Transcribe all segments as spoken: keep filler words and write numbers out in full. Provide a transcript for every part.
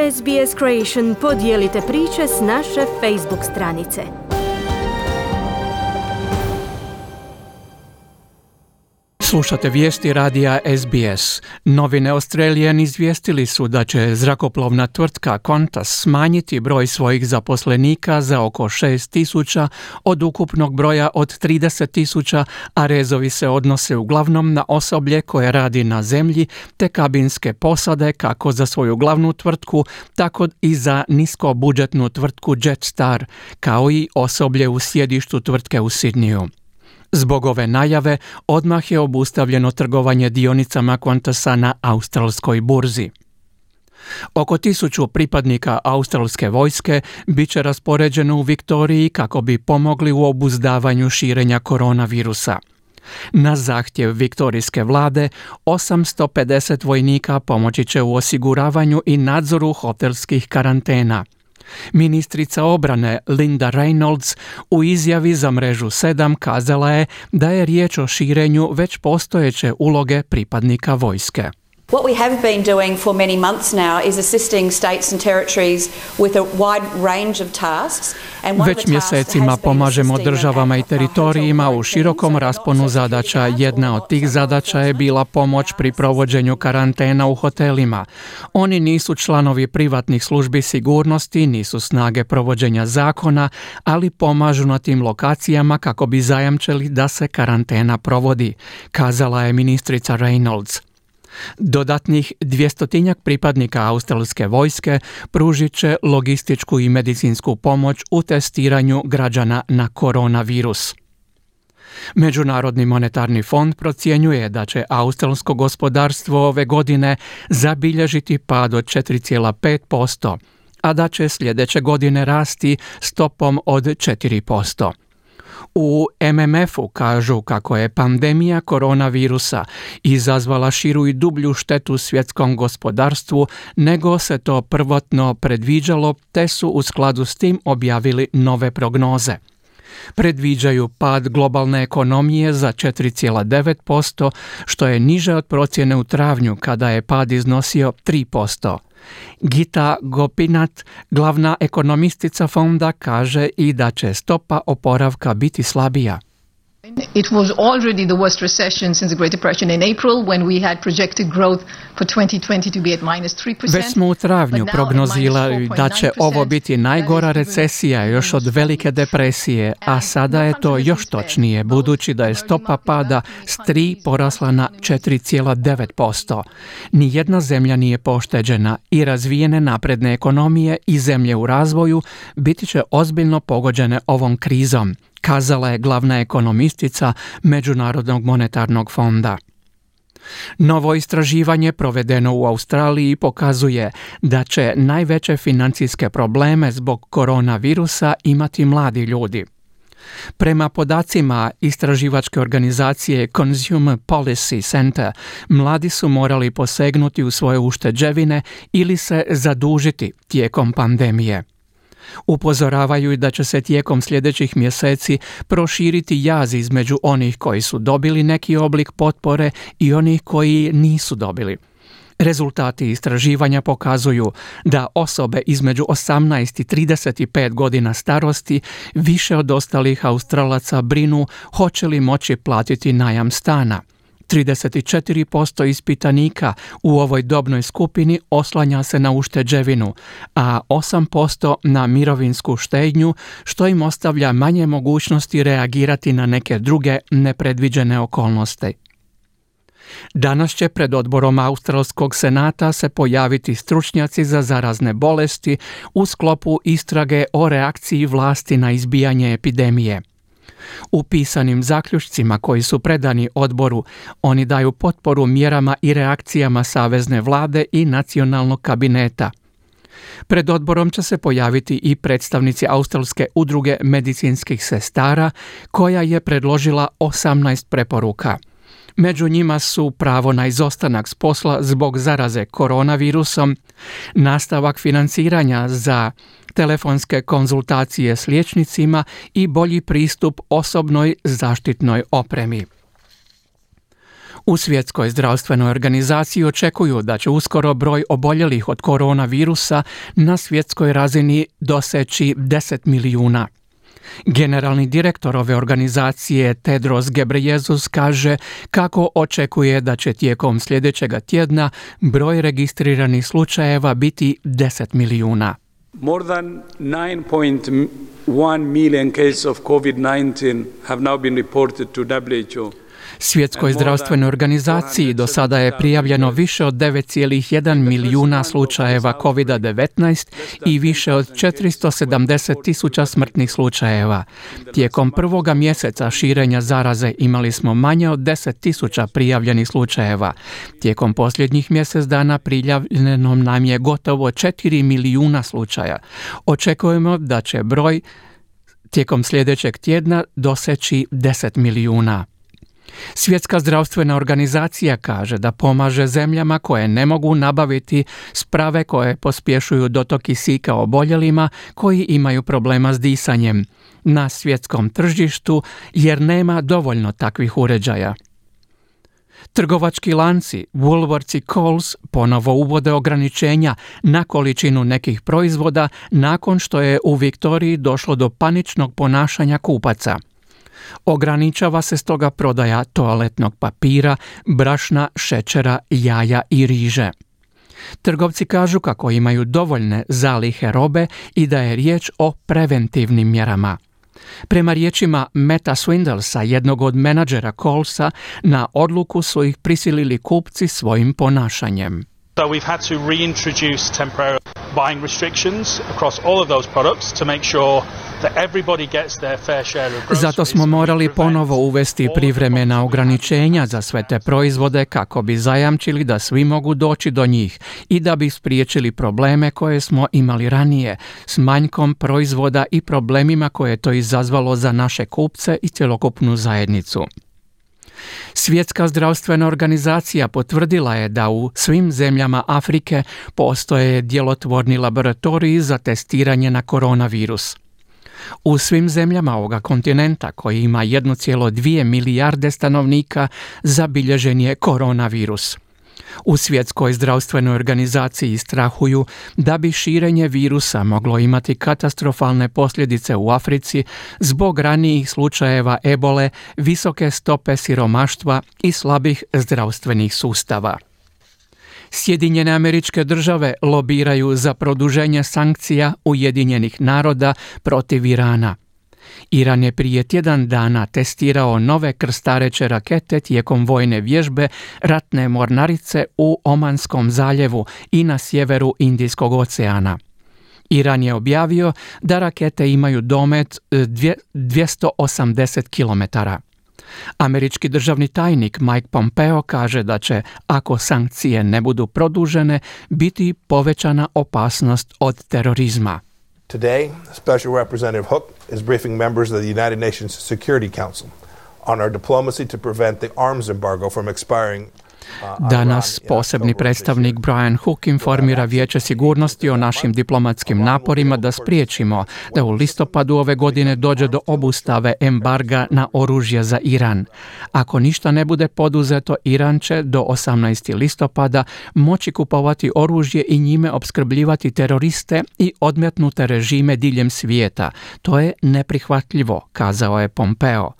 S B S Creation podijelite priče s naše Facebook stranice. Slušate vijesti radija S B S. Novine Australian izvijestili su da će zrakoplovna tvrtka Qantas smanjiti broj svojih zaposlenika za oko šest tisuća od ukupnog broja od trideset tisuća, a rezovi se odnose uglavnom na osoblje koje radi na zemlji te kabinske posade kako za svoju glavnu tvrtku, tako i za niskobudžetnu tvrtku Jetstar, kao i osoblje u sjedištu tvrtke u Sidneyu. Zbog ove najave, odmah je obustavljeno trgovanje dionicama Qantasa na australskoj burzi. Oko tisuću pripadnika australske vojske bit će raspoređeno u Viktoriji kako bi pomogli u obuzdavanju širenja koronavirusa. Na zahtjev viktorijske vlade, osamsto pedeset vojnika pomoći će u osiguravanju i nadzoru hotelskih karantena. Ministrica obrane Linda Reynolds u izjavi za mrežu sedam kazala je da je riječ o širenju već postojeće uloge pripadnika vojske. What we have been doing for many months now is assisting states and territories with a wide range of tasks. Već mjesecima pomažemo državama i teritorijima u širokom rasponu zadaća. Jedna od tih zadaća je bila pomoć pri provođenju karantena u hotelima. Oni nisu članovi privatnih službi sigurnosti, nisu snage provođenja zakona, ali pomažu na tim lokacijama kako bi zajamčili da se karantena provodi, kazala je ministrica Reynolds. Dodatnih dvjestotinjak pripadnika australske vojske pružit će logističku i medicinsku pomoć u testiranju građana na koronavirus. Međunarodni monetarni fond procjenjuje da će australsko gospodarstvo ove godine zabilježiti pad od četiri zarez pet posto, a da će sljedeće godine rasti stopom od četiri posto. U M M F-u kažu kako je pandemija koronavirusa izazvala širu i dublju štetu svjetskom gospodarstvu nego se to prvotno predviđalo, te su u skladu s tim objavili nove prognoze. Predviđaju pad globalne ekonomije za četiri zarez devet posto, što je niže od procjene u travnju kada je pad iznosio tri posto. Gita Gopinath, glavna ekonomistica fonda, kaže i da će stopa oporavka biti slabija. It was already the worst recession since the Great Depression in April when we had projected growth for twenty twenty to be at minus three percent. Već smo u travnju prognozirali da će ovo biti najgora recesija još od velike depresije, a sada je to još točnije budući da je stopa pada s tri porasla na četiri zarez devet posto. Nijedna zemlja nije pošteđena i razvijene napredne ekonomije i zemlje u razvoju biti će ozbiljno pogođene ovom krizom, kazala je glavna ekonomistica Međunarodnog monetarnog fonda. Novo istraživanje provedeno u Australiji pokazuje da će najveće financijske probleme zbog koronavirusa imati mladi ljudi. Prema podacima istraživačke organizacije Consumer Policy Center, mladi su morali posegnuti u svoje ušteđevine ili se zadužiti tijekom pandemije. Upozoravaju i da će se tijekom sljedećih mjeseci proširiti jaz između onih koji su dobili neki oblik potpore i onih koji nisu dobili. Rezultati istraživanja pokazuju da osobe između osamnaest i trideset pet godina starosti više od ostalih Australaca brinu hoće li moći platiti najam stana. trideset četiri posto ispitanika u ovoj dobnoj skupini oslanja se na ušteđevinu, a osam posto na mirovinsku štednju, što im ostavlja manje mogućnosti reagirati na neke druge nepredviđene okolnosti. Danas će pred odborom Australskog senata se pojaviti stručnjaci za zarazne bolesti u sklopu istrage o reakciji vlasti na izbijanje epidemije. U pisanim zaključcima koji su predani odboru, oni daju potporu mjerama i reakcijama savezne vlade i nacionalnog kabineta. Pred odborom će se pojaviti i predstavnici Australske udruge medicinskih sestara, koja je predložila osamnaest preporuka. Među njima su pravo na izostanak s posla zbog zaraze koronavirusom, nastavak financiranja za telefonske konzultacije s liječnicima i bolji pristup osobnoj zaštitnoj opremi. U Svjetskoj zdravstvenoj organizaciji očekuju da će uskoro broj oboljelih od koronavirusa na svjetskoj razini doseći deset milijuna. Generalni direktor ove organizacije Tedros Ghebreyesus kaže kako očekuje da će tijekom sljedećega tjedna broj registriranih slučajeva biti deset milijuna. More than nine point one million cases of COVID nineteen have now been reported to W H O. Svjetskoj zdravstvenoj organizaciji do sada je prijavljeno više od devet zarez jedan milijuna slučajeva kovid devetnaest i više od četiristo sedamdeset tisuća smrtnih slučajeva. Tijekom prvoga mjeseca širenja zaraze imali smo manje od deset tisuća prijavljenih slučajeva. Tijekom posljednjih mjesec dana prijavljeno nam je gotovo četiri milijuna slučaja. Očekujemo da će broj tijekom sljedećeg tjedna doseći deset milijuna. Svjetska zdravstvena organizacija kaže da pomaže zemljama koje ne mogu nabaviti sprave koje pospješuju dotok kisika oboljelima koji imaju problema s disanjem na svjetskom tržištu jer nema dovoljno takvih uređaja. Trgovački lanci Woolworths i Coles ponovo uvode ograničenja na količinu nekih proizvoda nakon što je u Viktoriji došlo do paničnog ponašanja kupaca. Ograničava se stoga prodaja toaletnog papira, brašna, šećera, jaja i riže. Trgovci kažu kako imaju dovoljne zalihe robe i da je riječ o preventivnim mjerama. Prema riječima Metta Swindlesa, jednog od menadžera Colesa, na odluku su ih prisilili kupci svojim ponašanjem. So we've had to reintroduce temporary buying restrictions across all of those products to make sure that everybody gets their fair share of groceries. Zato smo morali ponovo uvesti privremena ograničenja za sve te proizvode kako bi zajamčili da svi mogu doći do njih i da bi spriječili probleme koje smo imali ranije s manjkom proizvoda i problemima koje je to izazvalo za naše kupce i cjelokupnu zajednicu. Svjetska zdravstvena organizacija potvrdila je da u svim zemljama Afrike postoje djelotvorni laboratoriji za testiranje na koronavirus. U svim zemljama ovoga kontinenta, koji ima jednu zarez dvije milijarde stanovnika, zabilježen je koronavirus. U Svjetskoj zdravstvenoj organizaciji strahuju da bi širenje virusa moglo imati katastrofalne posljedice u Africi zbog ranijih slučajeva ebole, visoke stope siromaštva i slabih zdravstvenih sustava. Sjedinjene Američke Države lobiraju za produženje sankcija Ujedinjenih naroda protiv Irana. Iran je prije tjedan dana testirao nove krstareće rakete tijekom vojne vježbe ratne mornarice u Omanskom zaljevu i na sjeveru Indijskog oceana. Iran je objavio da rakete imaju domet dvjesto osamdeset kilometara. Američki državni tajnik Mike Pompeo kaže da će, ako sankcije ne budu produžene, biti povećana opasnost od terorizma. Today, Special Representative Hook is briefing members of the United Nations Security Council on our diplomacy to prevent the arms embargo from expiring. Danas posebni predstavnik Brian Hook informira Vijeće sigurnosti o našim diplomatskim naporima da spriječimo da u listopadu ove godine dođe do obustave embarga na oružje za Iran. Ako ništa ne bude poduzeto, Iran će do osamnaestog listopada moći kupovati oružje i njime opskrbljivati teroriste i odmetnute režime diljem svijeta. To je neprihvatljivo, kazao je Pompeo.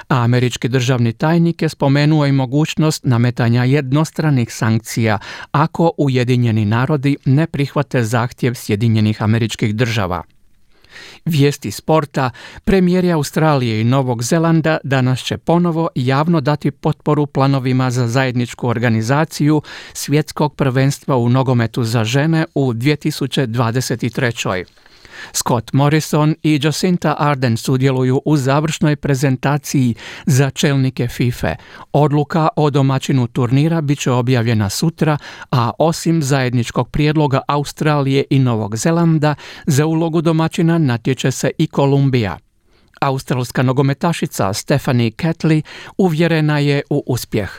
A američki državni tajnik je spomenuo i mogućnost nametanja jednostranih sankcija ako Ujedinjeni narodi ne prihvate zahtjev Sjedinjenih Američkih Država. Vijesti sporta, premijeri Australije i Novog Zelanda danas će ponovo javno dati potporu planovima za zajedničku organizaciju svjetskog prvenstva u nogometu za žene u dvije tisuće dvadeset trećoj. Scott Morrison i Jacinta Ardern sudjeluju u završnoj prezentaciji za čelnike FIFA. Odluka o domaćinu turnira bit će objavljena sutra, a osim zajedničkog prijedloga Australije i Novog Zelanda, za ulogu domaćina natječe se i Kolumbija. Australska nogometašica Stephanie Catley uvjerena je u uspjeh.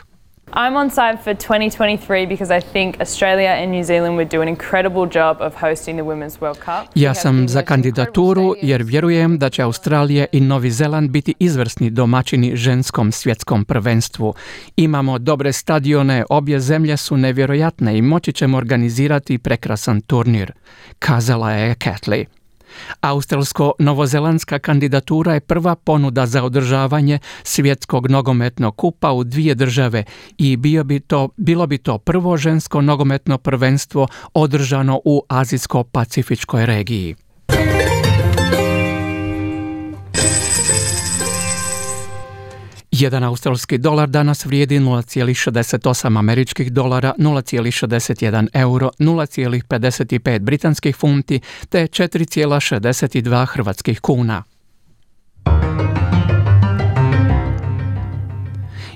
I'm on side for twenty twenty-three because I think Australia and New Zealand would do an incredible job of hosting the Women's World Cup. Ja sam za kandidaturu jer vjerujem da će Australija i Novi Zeland biti izvrsni domaćini ženskom svjetskom prvenstvu. Imamo dobre stadione, obje zemlje su nevjerojatne i moći ćemo organizirati prekrasan turnir, kazala je Catley. Australsko-novozelandska kandidatura je prva ponuda za održavanje svjetskog nogometnog kupa u dvije države i bio bi to, bilo bi to prvo žensko nogometno prvenstvo održano u azijsko-pacifičkoj regiji. Jedan australski dolar danas vrijedi nula zarez šezdeset osam američkih dolara, nula zarez šezdeset jedan euro, nula zarez pedeset pet britanskih funti te četiri zarez šezdeset dva hrvatskih kuna.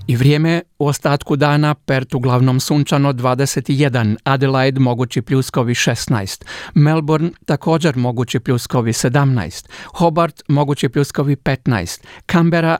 I vrijeme u ostatku dana: Perth uglavnom sunčano dvadeset jedan, Adelaide mogući pljuskovi šesnaest, Melbourne također mogući pljuskovi sedamnaest, Hobart mogući pljuskovi petnaest, Canberra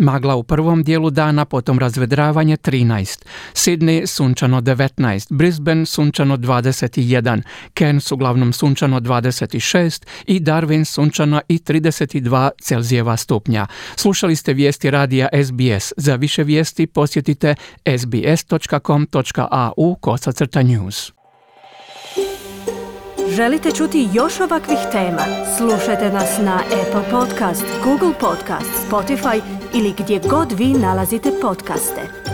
magla u prvom dijelu dana, potom razvedravanje trinaest, Sydney sunčano devetnaest, Brisbane sunčano dvadeset jedan, Cairns uglavnom sunčano dvadeset šest i Darwin sunčano i trideset dva Celzijeva stupnja. Slušali ste vijesti radija S B S. Za više vijesti posjetite s b s dot com dot a u kosacrta news. Želite čuti još ovakvih tema? Slušajte nas na Apple Podcast, Google Podcast, Spotify ili gdje god vi nalazite podcaste.